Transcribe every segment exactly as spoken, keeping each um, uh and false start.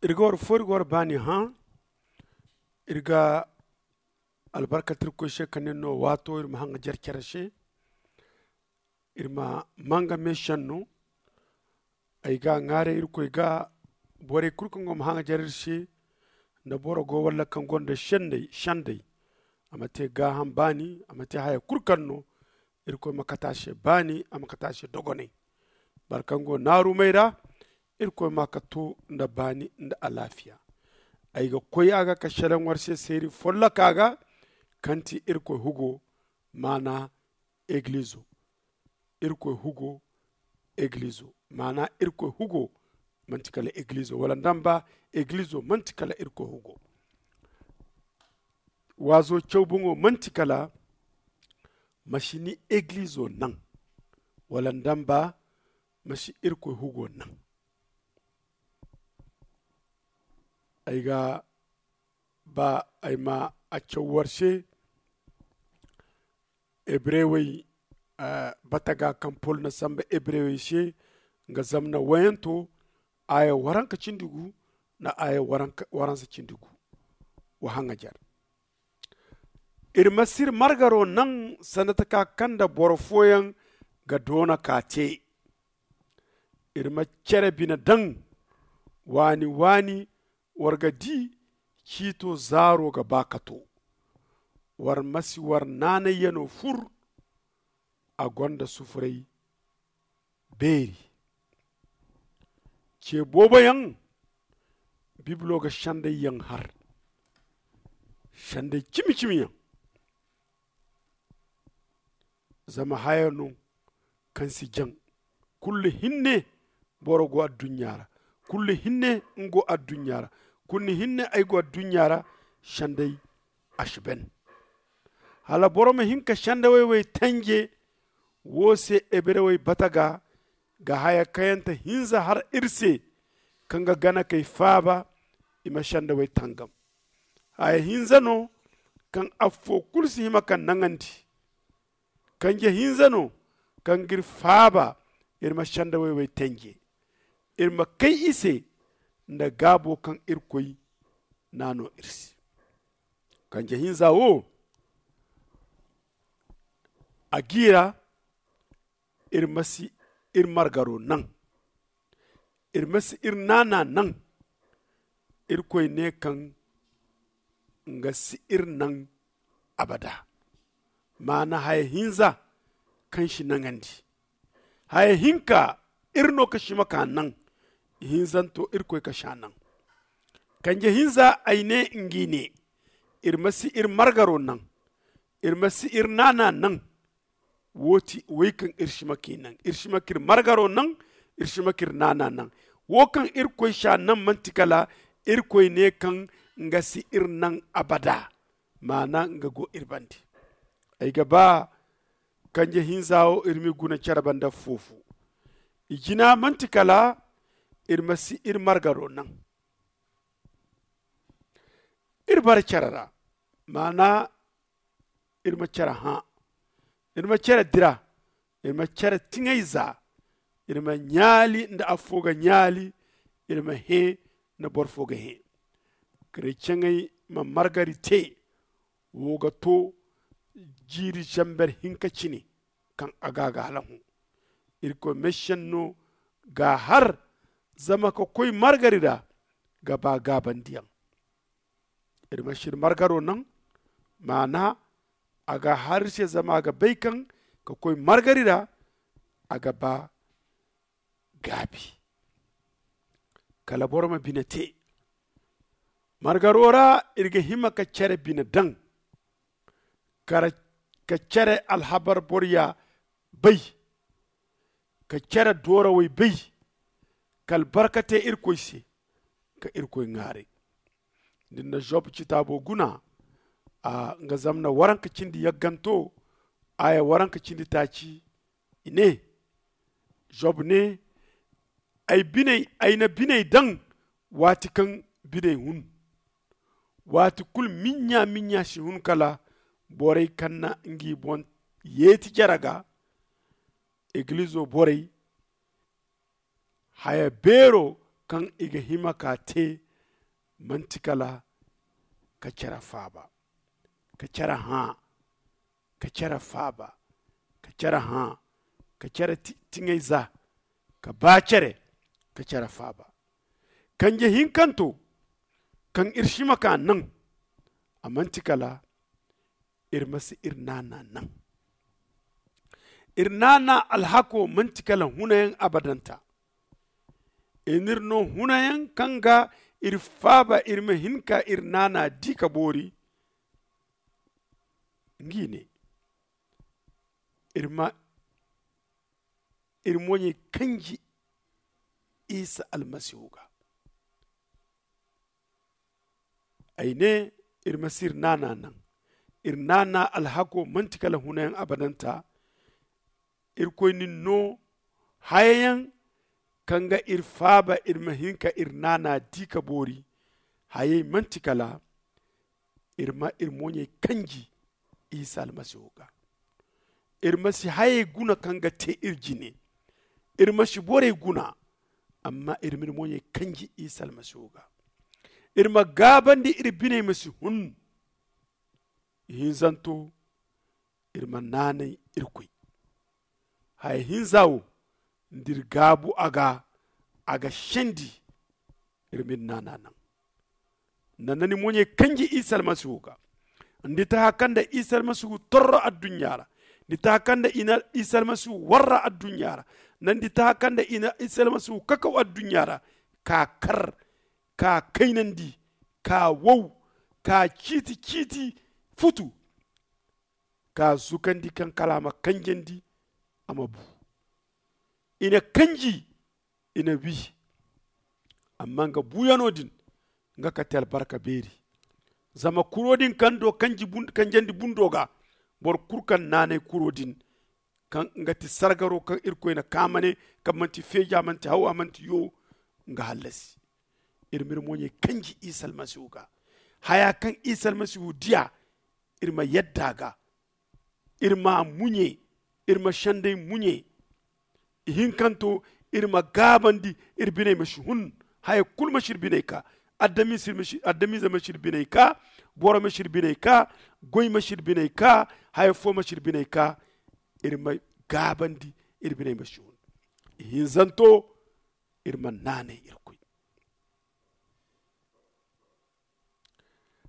Iri ga war fo iri ga war baani hã. Iri ga albarkante irkoy se ka nin no waato iri ma haŋajer care se. Iri ma manga meesenno. Ay ga ŋwaaray irkoy ga borey kulu kaŋ go ma haŋajer iri se. Nda boro go walla kaŋ gonda sendey, a ma te gaaham baani, a ma te haya kulu kaŋ no. Irkoy ma kate a se baani, a ma kate a se dogonay. Boro kaŋ go naarumey ra, irkoy ma ka to nda baani nda alaafiya. Ay ga koy a ga ka selaŋ war se seeri folloka ga, kaŋ ti irkoy hugo, maana egilizo. Irkoy hugo, egilizo, maana irkoy hugo, manti kala egilizo wala nda mba, egilizo manti kala irkoy hugo. Waazo caw boŋo manti kala ma si ni egilizo naŋ, wala nda mba, ma si irkoy hugo naŋ. Ay ga ba ay ma a caw war se. Hebrewey bata ga kaŋ pol na samba hebrewey se, nga zamna wayanto, aya waranka cindi gu nda aya waransa cindi gu. Wa haŋajer. Iri ma si iri margaro naŋ sanda taka kaŋ nda boro fooyaŋ ga doona ka te. Iri ma cere bine daŋ waani waani. War ga di ciito zaaro ga ba ka to. War ma si war naanayyano fur. A gonda sufuray beeri. Ce booboyaŋ bibilo ga sendayyaŋ har, senday cimi cimiyaŋ. Zama haya no kaŋ si jaŋ. Kullu hinne boro go adduɲɲa ra. Kullu hinne nga go adduɲɲa ra. Kullu hinne ay go adduɲɲa ra. Senday a si ban. Hala boro ma hin ka sendawey wey tanje. Wo se hebrewey bata ga ga haya kayante hinza har iri se, kaŋ ga gana kay faaba i ma sendawey tangam. Haya hinza no kaŋ affo kulu si hima ka naŋandi. Kanje hinza no kaŋ g'iri faaba iri ma sendawey wey tanje. Iri ma kay i se nda gaabo kaŋ irkoy na no iri se. Kanje hinza wo a g'i ra. Iri ma si iri margaro naŋ. Iri ma si iri naana naŋ. Irkoy ne kaŋ nga si iri naŋ abada. Maana haya hinza kaŋ si naŋandi. Haya hinka iri no ka sima ka naŋ. Hinzanto irkoy ka s'a naŋ. Kanje hinza ay ne ngi ne. Iri ma si iri margaro naŋ. Iri ma si iri naana naŋ. Wo ti wey kaŋ iri sima k'i naŋ iri sima k'iri margaro naŋ. Iri sima k'iri naana naŋ. Wo kaŋ irkoy s'a naŋ manti kala irkoy ne kaŋ nga si iri naŋ abada. Maana nga go iri bande. Ay ga ba kanje hinza wo iri m'i guna care banda foofu. I jina manti kala iri ma si iri margaro naŋ. Iri bara care ra. Maana iri ma care hã. Iri ma care dira. Iri ma care tiŋay za. Iri ma ɲaali nda affo ga ɲaali. Iri ma hẽ nda boro fo ga hẽ. Kareceŋey ma margari te. Wo ga to jiiri zamber hinka cine kaŋ a ga a ga hala hõ. Irkoy meesenno g'a har zama ka koy margari ra ga ba gaabandiyaŋ. Iri ma si iri margaro naŋ. Maana a ga har iri se zama a ga bay kaŋ ka koy margari ra a ga ba gaabi. Kala boro ma bine te. Margaro ra iri ga hima ka care bine daŋ ka care alhabar boroya bay. Ka care doorawey bay ka albarka te irkoy se ka irkoy ŋwaaray. Da ni na zob citaabo guna a nga zamna waranka cindi yagganto aya waranka cindi taaci. I ne zob ne ay na biney daŋ waati kaŋ biney hun. Waati kulu miɲɲa miɲɲa si hun kala borey kaŋ na ngi boŋ yeeti jare ga. Igilizo borey haya beero kaŋ i ga hima ka te manti kala ka cere faaba, ka cere hã, ka cere faaba, ka cere hã, ka cere tiŋayza, ka ba cere, ka cere faaba. Kanje hinkanto kaŋ iri si ma ka naŋ, a manti kala iri ma si iri naana naŋ. Iri naana alhako manti kala hunayaŋ abadanta. I n'iri no hunayaŋ kaŋ ga iri faaba iri ma hin ka iri naana di ka boori. Ngi ne iri ma iri moɲey kanji isa almasihu ga. Ay ne iri ma si iri naana naŋ. Iri naana alhako manti kala hunayaŋ abadanta. Irkoy nin no hayayaŋ kaŋ ga iri faaba iri ma hin ka iri naana di ka boori. Hayey manti kala iri ma iri moɲey kanji isa almasihu ga. Iri ma si hayey guna kaŋ ga te iri jine. Iri ma si borey guna, amma iri ma iri moɲey kanji isa almasihu ga. Iri ma gaabandi iri biney ma si hun. Ihinzanto iri ma naanay irkoy. Haya hinza wo nda iri gaabu a ga a ga sendi. Iri ma iri naana naŋ. Nda ni moɲey kanji isa almasihu ga, nda i taha kaŋ nda isa almasihu torro adduɲɲa ra, nda i taha kaŋ nda isa almasihu warra adduɲɲa ra, nda i taha kaŋ nda isa almasihu kakaw adduɲɲa ra, ka kar, ka kaynandi, ka wow, ka ciiti ciiti futu, ka zukandi kaŋ kala a ma kanjandi, a ma bu. I na kanji, i na wi. Amma nga buyano din, nga kate albarka beeri. Zama kuro din kaŋ do kanjandi bundo ga, boro kulu kaŋ naanay kuro din, kaŋ nga ti sargaro kaŋ irkoy na kaamane, kaŋ manti feeja manti hawa manti yo, nga hallasi. Iri ma iri moɲey kanji isa almasihu ga. Haya kaŋ isa almasihu diya, iri ma yadda a ga. Iri ma a muɲe. Iri ma senday muɲe. Ihinkanto, iri ma gaabandi. Iri biney ma si hun. Haya kulu ma si iri biney ka. Adamize ma si iri biney ka. Boro ma si iri biney ka. Goy ma si iri biney ka. Haya fo ma si iri biney ka. Iri ma gaabandi. Iri biney ma si hun. Ihinzanto, iri ma naanay irkoy.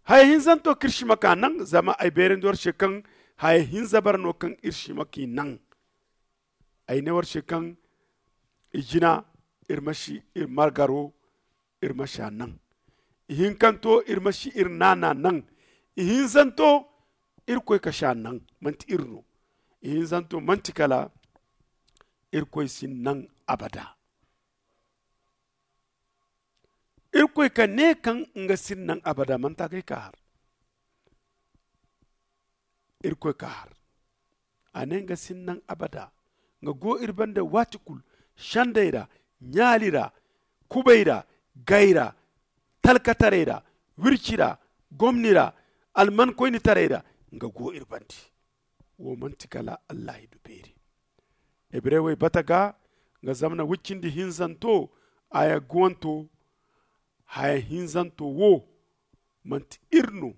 Haya hinzanto kaŋ iri si ma ka naŋ, zama ay beerandi war se kaŋ haya hinza bara no kaŋ iri si ma k'i naŋ. Ay ne war se kaŋ i jina, iri ma si iri margaro, iri ma si a naŋ. Ihinkanto, iri ma si iri naana naŋ. Ihinzanto, irkoy ka si a naŋ, manti iri no. Ihinzanto manti kala irkoy si naŋ abada. Irkoy ka ne kaŋ nga si naŋ abada, manti a ga ay ka har. Irkoy ka har. A ne nga si naŋ abada. Nga go iri banda waati kulu, sandey ra, ɲaali ra, kubay ra, gay ra, talkataray ra, wirci ra, gomni ra, almankoynitaray ra. Nga go iri banda. Wo manti kala allahidu beeri. Hebrewey bata ga, nga zamana wicindi hinzanto, aya guwanto. Haya hinzanto wo, manti iri no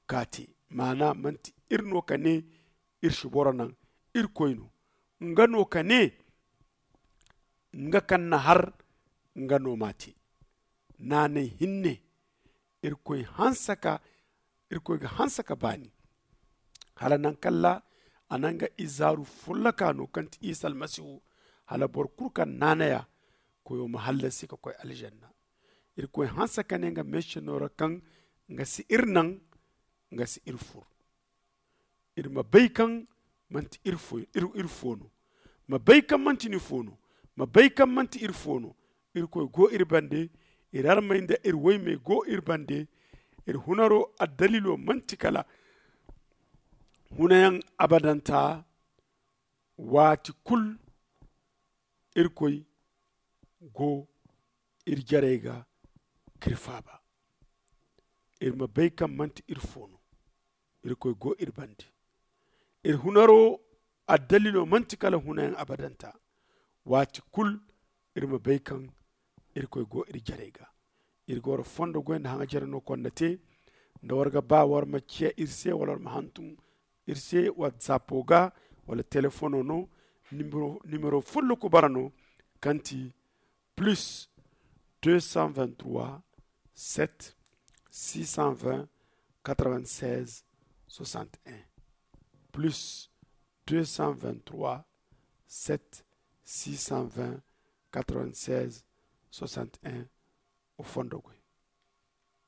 ka te. Maana manti iri no ka ne iri si boro naŋ. Irkoy no. Nga no ka ne nga kaŋ na har, nga no m'a te. Naanay hinne, irkoy hanse ka irkoy ga hanse ka baani. Hala naŋ kalla a na nga izaaru folloka no kaŋ ti isa almasihu, hala boro kulu kaŋ naanay a, koyo ma hallasi ka koy aljanna. Irkoy hanse ka ne nga meese no ra kaŋ nga si iri naŋ, nga si iri fur. Iri ma bay kaŋ manti iri fo no, ma bay kaŋ manti ni fo no, ma bay kaŋ manti iri fo no. Irkoy go iri bande. Iri armey nda iri woymey go iri bande. Iri hunaro addalilo manti kala hunayaŋ abadanta. Waati kulu irkoy go iri jarey ga k'iri faaba. Iri ma bay kaŋ manti iri fo no. Irkoy go iri bande. Iri hunaro addalilo manti kala hunayaŋ abadanta. Waati kulu iri ma bay kaŋ irkoy go iri jarey ga. Iri ga war fondo goy nda haŋajere no konda te. Nda war ga ba war ma ciya iri se wala war ma hantum iri se, watsapo ga wala telefono no. Nimero fulluku bara no, kaŋ ti plus deux cent vingt-trois, sept, six cent vingt, quatre-vingt-seize, soixante-un. Plus deux cent vingt-trois, sept, six cent vingt, quatre-vingt-seize, soixante-un. O fondo goy.